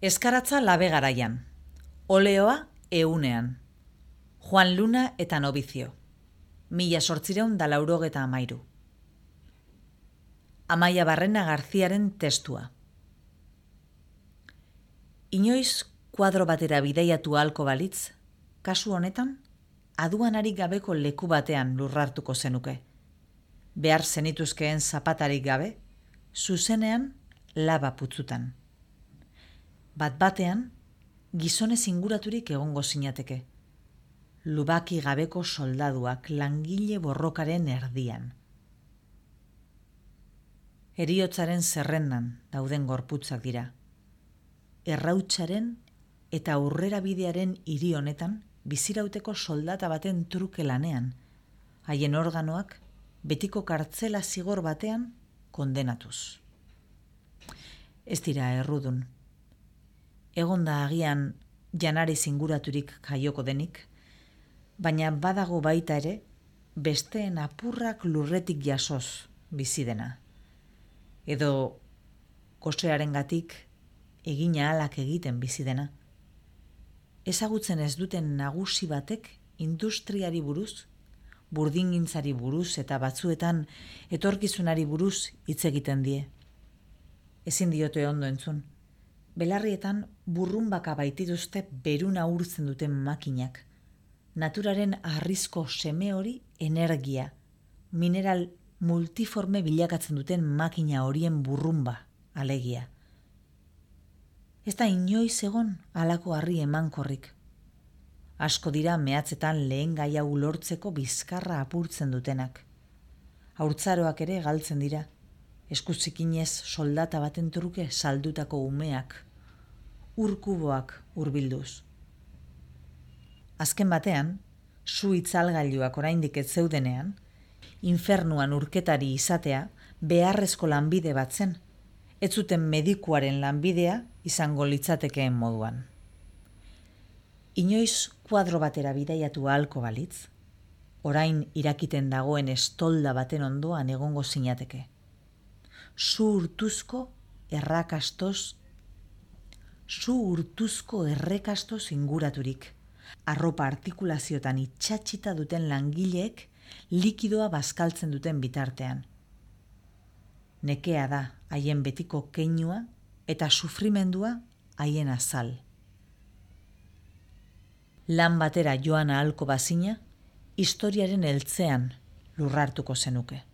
Eskaratza labe garaian, oleoa eunean, Juan Luna eta Nobizio, 1883. Amaia Barrena Garziaren testua. Inoiz kuadro batera bidaiatu ahalko balitz, kasu honetan, aduanarik gabeko leku batean lurrartuko zenuke. Behar zenituzkeen zapatarik gabe, zuzenean laba putzutan. Bat-batean, gizonez inguraturik egongo zinateke. Lubaki gabeko soldaduak langile borrokaren erdian. Heriotzaren zerrendan dauden gorputzak dira. Errautsaren eta aurrera bidearen hiri honetan bizirauteko soldata baten truke lanean, haien organoak betiko kartzela zigor batean kondenatuz. Ez dira errudun. Egonda agian janariz inguraturik jaioko denik, baina badago baita ere besteen apurrak lurretik jasoz bizi dena. Edo gosearengatik egina ahalak egiten bizi dena. Ezagutzen ez duten nagusi batek industriari buruz, burdingintzari buruz eta batzuetan etorkizunari buruz hitz egiten die. Ezin diote ondo entzun. Belarrietan burrunbaka baitituzte beruna urtzen duten makinak. Naturaren arrizko seme hori energia, mineral multiforme bilakatzen duten makina horien burrunba, alegia. Ez da inoiz egon halako harri emankorrik. Asko dira mehatzetan lehen gai hau lortzeko bizkarra apurtzen dutenak. Haurtzaroak ere galtzen dira, eskuzikinez soldata baten truke saldutako umeak, urkuboak hurbilduz. Azken batean, su itzalgailuak oraindik ez zeudenean, infernuan urketari izatea beharrezko lanbide bat zen, ez zuten medikuaren lanbidea izango litzatekeen moduan. Inoiz kuadro batera bidaiatu ahalko balitz, orain irakiten dagoen estolda baten ondoan egongo zinateke. Su urtuzko errekastoz inguraturik, arropa artikulaziotan itxatxita duten langileek likidoa bazkaltzen duten bitartean. Nekea da haien betiko keinua eta sufrimendua haien azal. Lan batera joan ahalko bazina, historiaren heltzean lurrartuko zenuke.